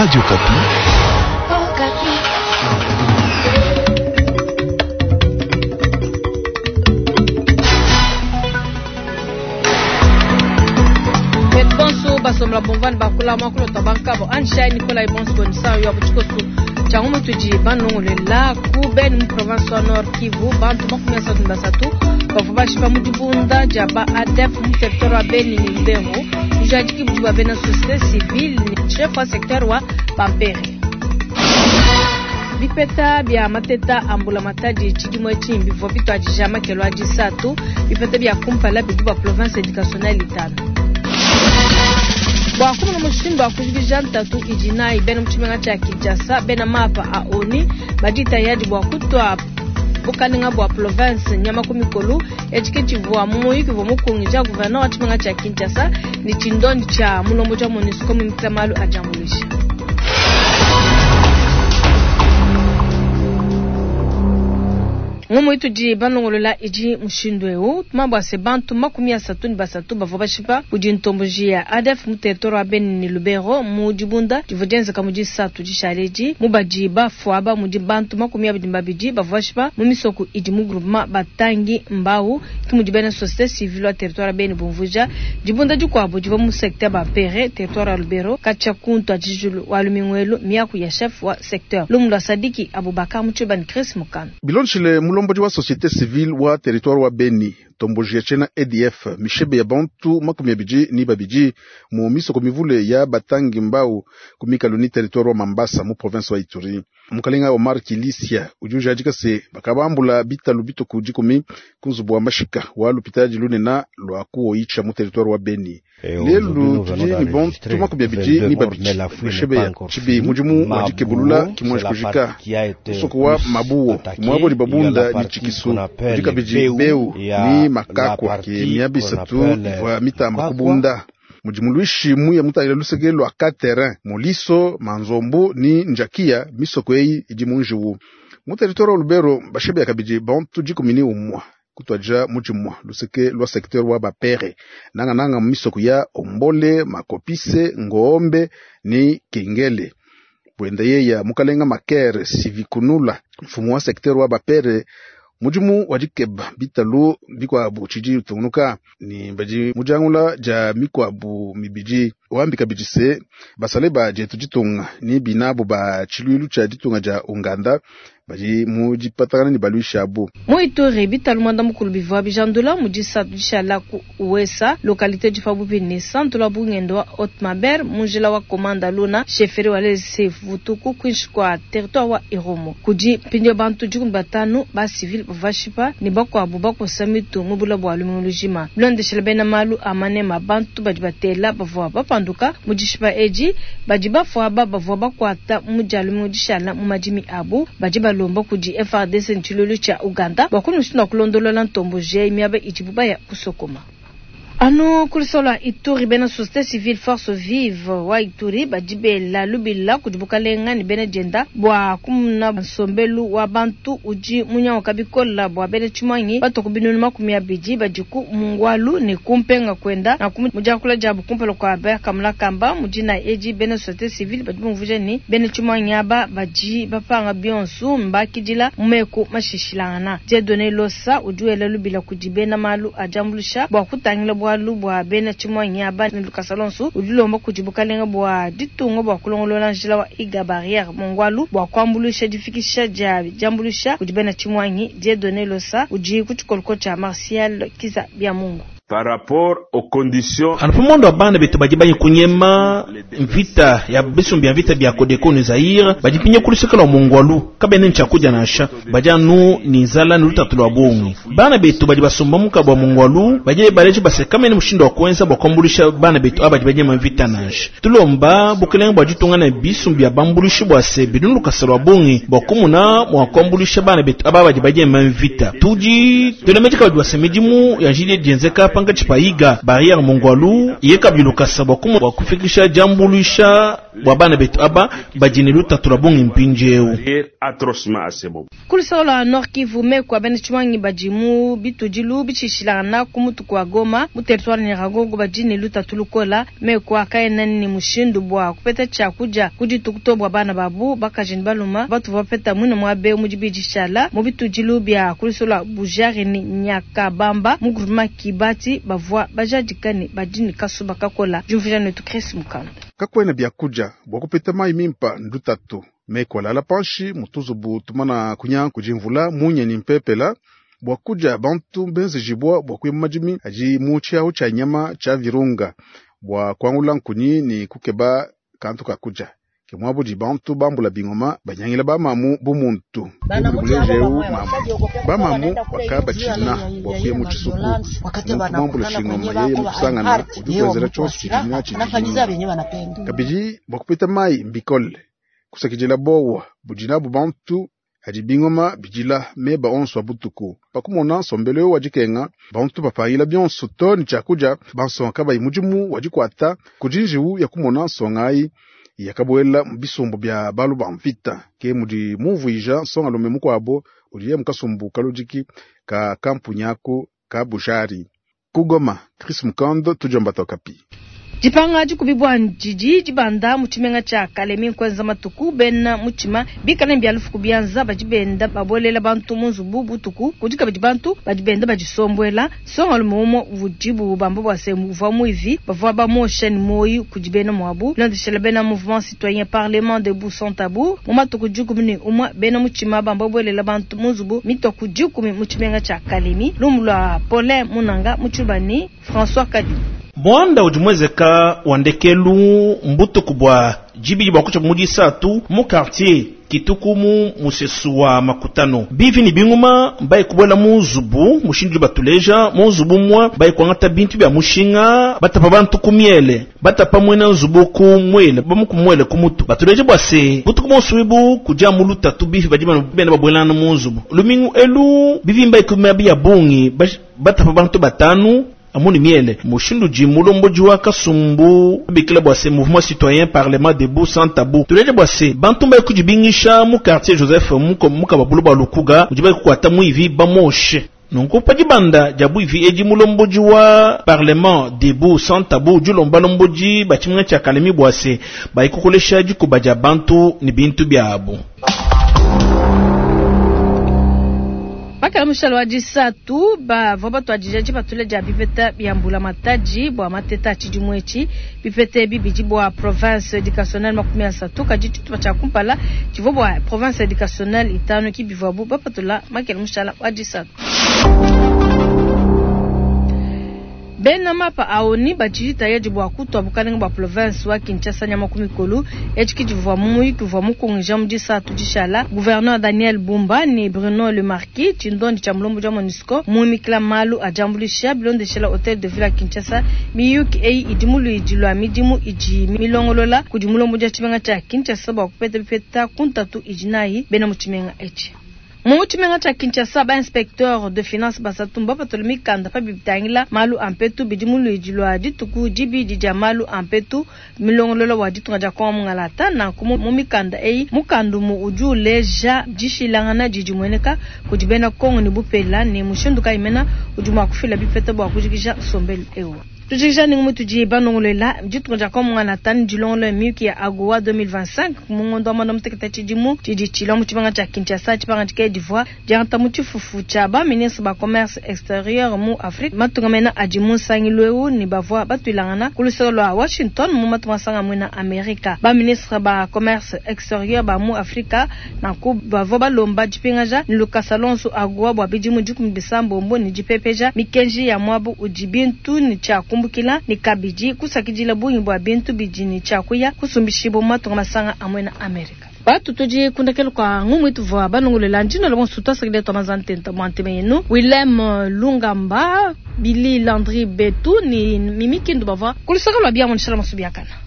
Radio Okapi. Bonso basomla bomvani bakula mwakulota bankabo anshai Nikolai Bonso nisa yo buchikosu changu mutudi banongolela ku Beni mu province wa Nord Kivu bantu 33 bavua bashipa mu dibunda dia ba ADF mu territoire wa Beni ni Lubero bujadiki budi bua bena société civile ni chef wa secteur wa Bampere. Bipeta bia mateta a mbulamatadi tshidimu etshi bivua bituadija makelo a disatu bipeta bia kumpala bidi bua province educationnelle itanu. Bua kumona mushindu wa kujikija ntatu idi nayi bena mu tshimenga tshia Kinshasa, bena mapa a ONU badi tayari bua kutua bukalenga bua province nyama ku mikolo. Etshi ke tshivua mu muyuki uvua mukungija gouverneur wa tshimenga tshia Kinshasa ne tshindondi tshia mulombodi wa MONUSCO muimikila malu a diambuluisha. Ngumu itudi balongolola idi mushindu eu tumambu se bantu 33 bavua bashipa kudi ntomboji ya ADF mu territoire wa Beni ne Lubero mu dibunda divua dienzeka mu disatu dishale mu badi bafuaba mudi bantu 22 bavua bashipa mu misoko idi mu groupement batangi mbau ki mudi bena société civile wa territoire wa Beni bumvuja dibunda dikuabu divua mu secteur Bampere territoire wa Lubero katshia kuntu adijulu wa lumingwelu miaku ya chef wa secteur Lumu lwa Sadiki Abubakar Muchibani Chris Mukano Bilonshile mulombodi wa société civile wa territoire wa Beni tomboji ya tshena ADF mishebe ya bantu 22 mu misoko mivule ya batangi mbau kumikalu ni territoire wa Mambasa mu province wa Ituri. Mukalenga Omar Kilisia udi ujadika se bakabambula bitalu bituku dikumi ku nzubu wa mashika wa lupitadi lunena lwa kuoicha mu territoire wa Beni. Lelu tudi ni bantu 22 mishebe ya chibi mudimu wa dikebulula kimwanji kujika musoko wa Mabuo mwabo ni babunda ni chikisu dikabidi beu ni makakwa ke miabi isatu ivua mitamba kubunda mudimu lwishi muya mutangila luseke lwa ka terrain moliso manzombo ni njakia misoko eyi idi munjiwu mu territoire wa Lubero bashebe ya kabidi bantu 11 kutwaja mujimwa luseke lwa secteur wa bapere nanga nanga misoko ya Ombole Makopise Ngombe ni Kengele bwenda yeya mukalenga makere sivikunula mfumu wa secteur wa bapere mudimu wa dikeba bitalu bikuabu tshidi utungunuka ni badi mujangula ja mikuabu mibidi wambika bidi se basale ba dietu ditunga ni binabu ba tshiluilu tshia ditunga dia Uganda badi mu dipatakana ni baluishi abu. Mu Ituri bitalu mwanda mukulu bivua bijandula mu disatu dishala ku Uesa localité du Fabubi ni centre wa bungendo wa Haute-Maber munjila wa Komanda Luna chefferie wa Lese Vutuku kwinshi kwa territoire wa Irumu kudi mpindio bantu 15 ba civil bavashipa ni bakwabu bakosa mitu mu bula bwa lumingu lujima bilondeshela bena malu amanema bantu badi batela bavua bapanduka mu dishipa edi badi bafuaba bavua bakwata mu dia lumingu dishala mu madimi abu badi balomba kudi FARDC nchilulu cha Uganda bakunushina kulondolola ntombo je miaba idibu baya kusokoma. Anu kulisola Ituri bena société civile force vive wa Ituri badibela lubila kudi bukalenga ni bena jenda bua kumuna nsombelu wa bantu udi munyanguka bikola bua bena tshimwanyi batoku binunu 20 badiku mungwalu ne kumpenga kwenda na mudiakula diabu kumpala kua bakamula kamba mudina edi bena société civile badi bumvuja ni bena tshimwanyi aba badi bapanga bionsu mbakidila mumeku mashishilangana Dieudonné Losa udi wela lubila kudi bena malu ajambulisha bua kutangila bwalu bwa bena tshimwanyi aba ne Lucas Alonso udilomba kudi bukalenga bua ditunga bua kulongolola njila wa iga barrière mongwalu bua kuambulisha difikisha dia diambulisha kudi bena tshimwanyi Dieudonné Losa udi ku tshikoloko tshia Martial Kiza bia Mungu. Par rapport aux conditions anapomondo abana betu badi bayi kunyema mvita ya bisumbi ya mvita bya Kodeko ni Zaire badi pinye kuluseka lwa mongwalu kabene nchakuja nasha badi anu ni nzala ni lutatu lwa bongi bana betu badi basomba muka bwa mongwalu badi baleje basekamene mushindo wa kwenza bwa kwambulisha bana betu abadi banyema mvita nasha tulomba bukelenge bwa ditunga na bisumbi ya bambulishi bwa se bidunu lukasa lwa bongi bwa kumuna mwa kwambulisha bana betu aba badi banyema mvita tudi tulemeje kabadi basemidimu ya jili dienzeka pankatshi pa Iga barriere Mongwalu ye kabidi lukasa bua kumua bua kufikisha diambuluisha bua bana betu aba badi ne lutatu lua bungi mpindieu. Atrocement à ce moment. Ku luseke lua Nord Kivu, meku a bena tshimuangi badi mu bitudilu bitshishilangana ku mutu kua Goma mu territoire Nyiragongo badi ne lutatu lukola. Meku a kaena ne mushindu bua kupeta tshia kudia ku dituku to bua bana babu bakaji ne baluma batuvua bapeta muine muaba eu mu dibidi dishala mu bitudilu bia ku luseke lua Bujari ne Nyakabamba mu groupement Kibati bavua bajadika ne badi ne kasuba kakola. Diumvuija netu Chris Mukanda. Kakuena biakudia bua kupeta mayi mimpa ndutatu. Meku alala panshi mu tuzubu tumana kunya kudi mvula munya ne mpepela bua kudia bantu benzejibua bua kuya mu madimi adi mu tshiahu tshia nyama tshia Virunga bua kuangula nkunyi ne kukeba kantu ka kudia. Ke muabudi bantu bambula bingoma banyangila bamamu bu muntu. Buleje eu mamu. Bamamu bakabatshina bua kuya mu tshisuku. Muntu muambula tshingoma yeye mukusangana udi kuenzela tshionso tshidi natshi dijinga. Kabidi bua kupeta mayi mbikole. Kusakidila bowa budi nabu bantu adi bingoma bidila meba onso a butuku. Pakumona nsombelu eu wa dikenga, bantu bapangila bionso to ne tshiakudia, bansonga kabayi mudimu wa dikuata kudi njiwu ya kumona nsonga ayi yakabuela mu bisumbu bia balu ba mvita. Ke mudi mumvuija nsongalume mukuabo udiye mu kasumbu kaludiki ka kampunyaku ka Bujari. Ku Goma, Chris Mukando, tudiomba Okapi. Dipanga dikubibua didi dibanda mu tshimenga tshia Kalemi nkuenza matuku bena mutshima bikale bia lufu ku bianza badi benda babolela bantu mu nzubu butuku. Kudi kabidi bantu badi benda badisombuela. Nsongalume umue udibu bamba bua se uvua muivi bavua bamosha ne muoyo kudi bena muabu. Bilondeshela bena mouvement citoyen parlement debout sans tabou mu matuku 11 bena mutshima bamba babuelela bantu mu nzubu mitua ku 10 mu tshimenga tshia Kalemi. Lumu lua Paulin Munanga mu Tshibani François Kadi. Mwanda udi mwezeka wa ndekelu mbutuku bua dibidi bua kutsha mu disatu mu quartier Kituku mu musesu wa Makutano. Bivi ne binguma mbaye kubuela mu nzubu mushindu batuleja mu nzubu mwa baye kuangata bintu bia mushinga batapa bantu ku miele batapa mwena nzubu ku mwele bamu ku mwele ku mutu batuleja bua se butuku bonso ibu kudia mu lutatu bivi badi bena babuelana mu nzubu lumingu elu bivi mbaye kumia bia bungi batapa bantu batanu amoni miele mushindu di mulomboji wa kasumbu bikila bua se mouvement citoyen parlement debout sans tabou tuleje bua se bantu mbaye kudibingisha mu quartier Joseph mukababulu bua Lukuga udi baye kukuata muivi bamoshe. Nunku pa dibanda dia buivi edi mulomboji wa parlement debout sans tabou dilomba lomboji ba tshimenga tshia Kalemi bua se baye kukolesha dikuba dia bantu ne bintu biabu. Bakala mushalo wa disatu bavua batuadija dipatula dia bipeta bia mbula matadi bua mateta a tshidimu etshi. Bipeta ebi bidi bua province educationnelle 30 kadi tshitupa tshia kumpala tshivua bua province educationnelle 5 ki bivuabu bapatula makela mushala wa disatu. Bena mapa aoni badi tayadi bua kutua bukalenge bua province wa Kinshasa nyama ku mikolo. Etshi ki tshivua mu muyuki uvua mukungija mu disatu dishala gouverneur Daniel Bumba ne Bruno Le Marquis tshindondi tshia mulombo wa MONUSCO muimikila malu a diambuluisha bilondeshela hotel de ville ya Kinshasa. Miyuki eyi idi mu luidi lua midimu idi milongolola kudi mulombo wa tshimenga tshia Kinshasa bua kupeta bipeta ku ntatu idi nayi bena mu tshimenga etshi. Mu tshimenga tshia Kinshasa ba inspecteur de finance basatu mbapatula mikanda pa bitangila malu a mpetu bidi mu luidi lua dituku dibidi dia malu a mpetu milongolola wa ditunga dia Kongo Mungalata. Nanku mu mikanda eyi mukandumu udi uleja dishilangana didi mueneka kudi bena Kongo ne bupela ne mushindu kayi mena udi mua kufila bipeta bua kujikija nsombelu eu. Tujikija ningu mutudi banongolela ditunga dia Kongo Mungalata ne dilongolola miyuki ya AGOA 2025 mu ngondo wa mwanda mutekete tshidimu tshidi tshilua mu tshimenga tshia Kinshasa. Tshipangadika divua diangata mu tshifufu tshia ba ministre ba commerce extérieur mu Afrique matunga mena adi mu nsangilu eu ne bavua batuilangana ku luseke lua Washington mu matunga masanga muena Amerika. Ba ministre ba commerce extérieur ba mu Afrika nanku bavua balomba dipingaja ne lukasa lonso AGOA bua bidimu 16 ne dipepeja mikenji ya muabu udi bintu ne tshia kumbukila ne kabidi kusakidila bungi bua bintu bidi ne tshia kuya kusumbishibwa mu matunga masanga a muena Amerika. Batu tudi kundekelo kwa ngumu ituvua banongolela ndino la bonso twasakidila twa mazantenta mwanteme yenu Willem Lungamba Billy Landry Betu ni Mimi Kindu bavua kulusaka lwa bia munishala masubiakana.